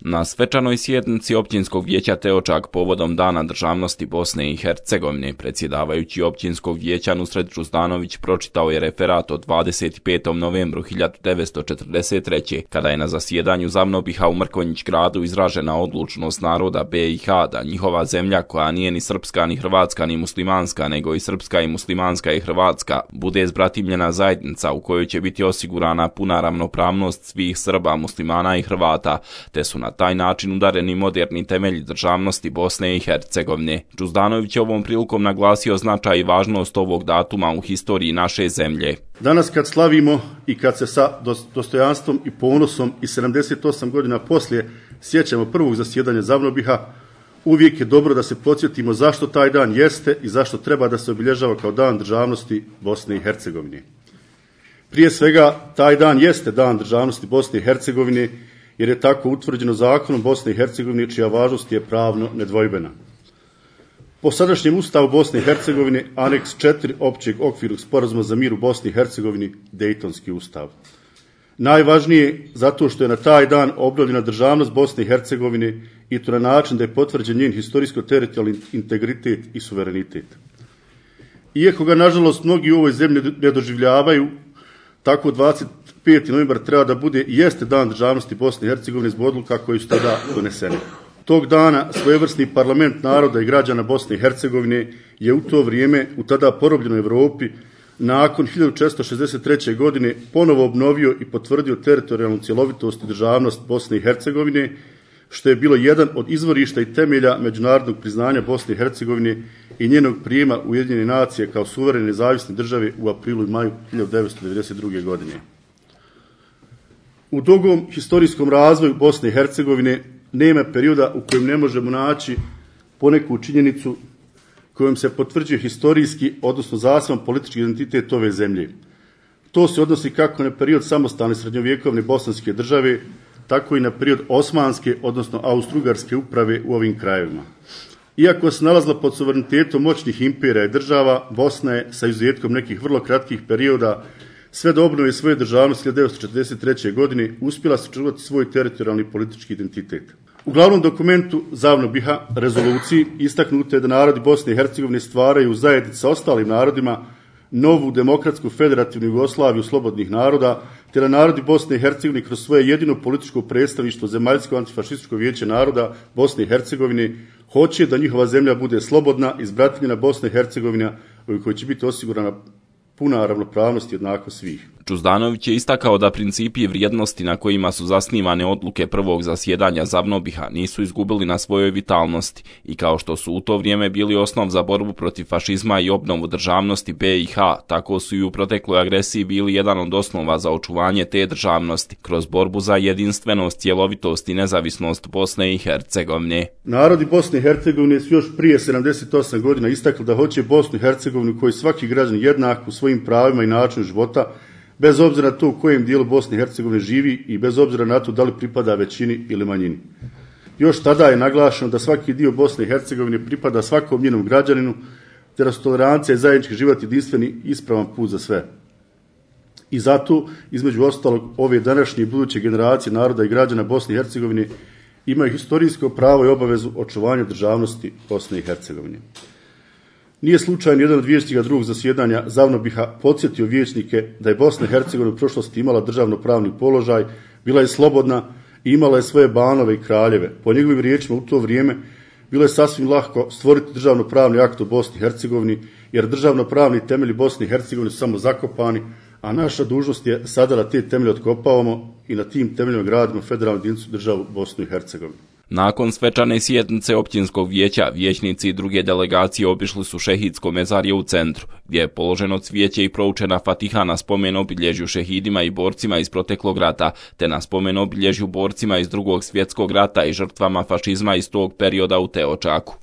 Na svečanoj sjednici Općinskog vijeća Teočak povodom Dana državnosti Bosne i Hercegovine, predsjedavajući Općinskog vijeća Nusret Džuzdanović pročitao je referat od 25. novembru 1943. kada je na zasjedanju Zavnobiha u Mrkonjić gradu izražena odlučnost naroda BiH da njihova zemlja, koja nije ni srpska, ni hrvatska, ni muslimanska, nego i srpska i muslimanska i hrvatska, bude zbratimljena zajednica u kojoj će biti osigurana puna ravnopravnost svih Srba, muslimana i Hrvata, te su na taj način udareni moderni temelji državnosti Bosne i Hercegovine. Džuzdanović je ovom prilikom naglasio značaj i važnost ovog datuma u historiji naše zemlje. Danas kad slavimo i kad se sa dostojanstvom i ponosom i 78 godina poslije sjećamo prvog zasjedanja Zavnobiha, uvijek je dobro da se podsjetimo zašto taj dan jeste i zašto treba da se obilježava kao dan državnosti Bosne i Hercegovine. Prije svega, taj dan jeste dan državnosti Bosne i Hercegovine, jer je tako utvrđeno zakonom Bosne i Hercegovine, čija važnost je pravno nedvojbena. Po sadašnjem ustavu Bosne i Hercegovine, aneks 4 općeg okvirnog sporazuma za mir u Bosni i Hercegovini, Dejtonski ustav. Najvažnije zato što je na taj dan obnovljena državnost Bosne i Hercegovine i to na način da je potvrđen njen historijsko-teritorijalni integritet i suverenitet. Iako ga, nažalost, mnogi u ovoj zemlji ne doživljavaju, tako 25. novembar treba da bude i jeste dan državnosti Bosne i Hercegovine zbog odluka koji su tada donesene. Tog dana svojevrsni parlament naroda i građana Bosne i Hercegovine je u to vrijeme u tada porobljenoj Evropi nakon 1463. godine ponovo obnovio i potvrdio teritorijalnu cjelovitost i državnost Bosne i Hercegovine, što je bilo jedan od izvorišta i temelja međunarodnog priznanja Bosne i Hercegovine i njenog prijema Ujedinjene nacije kao suverene nezavisne države u aprilu i maju 1992. godine. U dugom historijskom razvoju Bosne i Hercegovine nema perioda u kojem ne možemo naći poneku činjenicu kojom se potvrđuje historijski, odnosno zaseban politički identitet ove zemlje. To se odnosi kako na period samostalne srednjovjekovne bosanske države, tako i na period osmanske, odnosno austrougarske uprave u ovim krajevima. Iako se nalazila pod suverenitetom moćnih imperija i država, Bosna je, sa izuzetkom nekih vrlo kratkih perioda, sve do obnove svoje državnosti 1943. godine uspjela sačuvati svoj teritorijalni politički identitet. U glavnom dokumentu Zavnobiha, rezoluciji, istaknuto je da narodi Bosne i Hercegovine stvaraju zajednicu sa ostalim narodima novu demokratsku federativnu Jugoslaviju slobodnih naroda, te da narodi Bosne i Hercegovine kroz svoje jedino političko predstavništvo Zemaljsko antifašističko vijeće naroda Bosne i Hercegovine hoće da njihova zemlja bude slobodna, izbratimljena Bosna i Hercegovina u kojoj će biti osigurana puna ravnopravnost i jednakost svih. Džuzdanović je istakao da principi i vrijednosti na kojima su zasnivane odluke prvog zasjedanja Zavnobiha nisu izgubili na svojoj vitalnosti i kao što su u to vrijeme bili osnov za borbu protiv fašizma i obnovu državnosti BiH, tako su i u protekloj agresiji bili jedan od osnova za očuvanje te državnosti kroz borbu za jedinstvenost, cjelovitost i nezavisnost Bosne i Hercegovine. Narodi Bosne i Hercegovine su još prije 78 godina istakli da hoće Bosnu i Hercegovinu koji svaki građanin jednak u svojim pravima i načinu života, bez obzira na to u kojem dijelu Bosne i Hercegovine živi i bez obzira na to da li pripada većini ili manjini. Još tada je naglašeno da svaki dio Bosne i Hercegovine pripada svakom njenom građaninu, te da su tolerancija i zajednički život jedinstveni ispravan put za sve. I zato, između ostalog, ove današnje i buduće generacije naroda i građana Bosne i Hercegovine imaju historijsko pravo i obavezu očuvanja državnosti Bosne i Hercegovine. Nije slučajno jedan od vijećnika drugog zasjedanja Zavnobiha podsjetio vijećnike da je Bosna i Hercegovina u prošlosti imala državno-pravni položaj, bila je slobodna i imala je svoje banove i kraljeve. Po njegovim riječima u to vrijeme bilo je sasvim lahko stvoriti državno-pravni akt u Bosni i Hercegovini, jer državno-pravni temelji Bosne i Hercegovine su samo zakopani, a naša dužnost je sada da te temelje otkopavamo i na tim temeljima gradimo federalnu jedinicu državu Bosnu i Hercegovinu. Nakon svečane sjednice Općinskog vijeća, vijećnici i druge delegacije obišli su šehidsko mezarje u centru, gdje je položeno cvijeće i proučena fatiha na spomen obilježju šehidima i borcima iz proteklog rata, te na spomen obilježju borcima iz Drugog svjetskog rata i žrtvama fašizma iz tog perioda u Teočaku.